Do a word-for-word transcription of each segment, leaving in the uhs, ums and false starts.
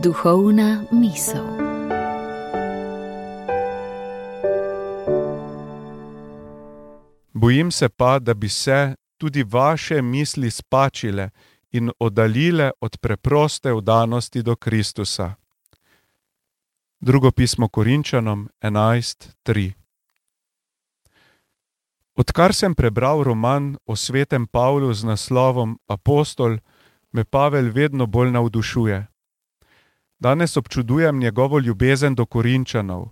Duhovna misel. Bojim se pa, da bi se tudi vaše misli spačile in oddaljile od preproste vdanosti do Kristusa. Drugo pismo Korinčanom enajst tri. Odkar sem prebral roman o svetem Pavlu z naslovom Apostol, me Pavel vedno bolj navdušuje. Danes občudujem njegovo ljubezen do Korinčanov.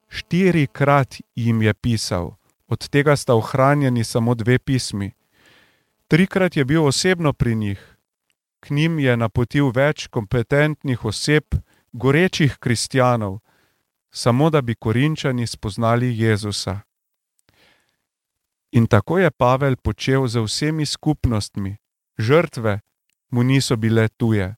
Štirikrat jim je pisal, od tega sta ohranjeni samo dve pismi. Trikrat je bil osebno pri njih. K njim je napotil več kompetentnih oseb, gorečih kristjanov, samo da bi Korinčani spoznali Jezusa. In tako je Pavel počel z vsemi skupnostmi. Žrtve mu niso bile tuje.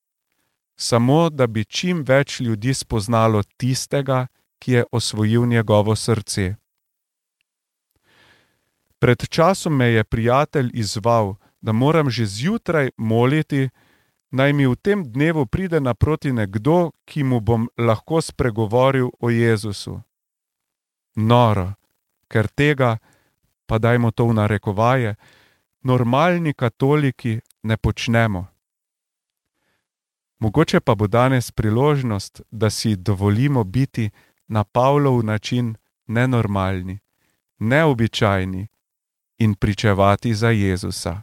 Samo da bi čim več ljudi spoznalo tistega, ki je osvojil njegovo srce. Pred časom me je prijatelj izzval, da moram že zjutraj moliti, naj mi v tem dnevu pride naproti nekdo, ki mu bom lahko spregovoril o Jezusu. Noro, ker tega, pa dajmo to v narekovaje, normalni katoliki ne počnemo. Mogoče pa bo danes priložnost, da si dovolimo biti na Pavlov način nenormalni, neobičajni in pričevati za Jezusa.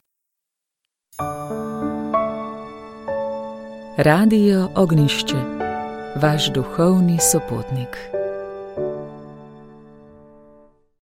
Radio Ognjišče, vaš duhovni sopotnik.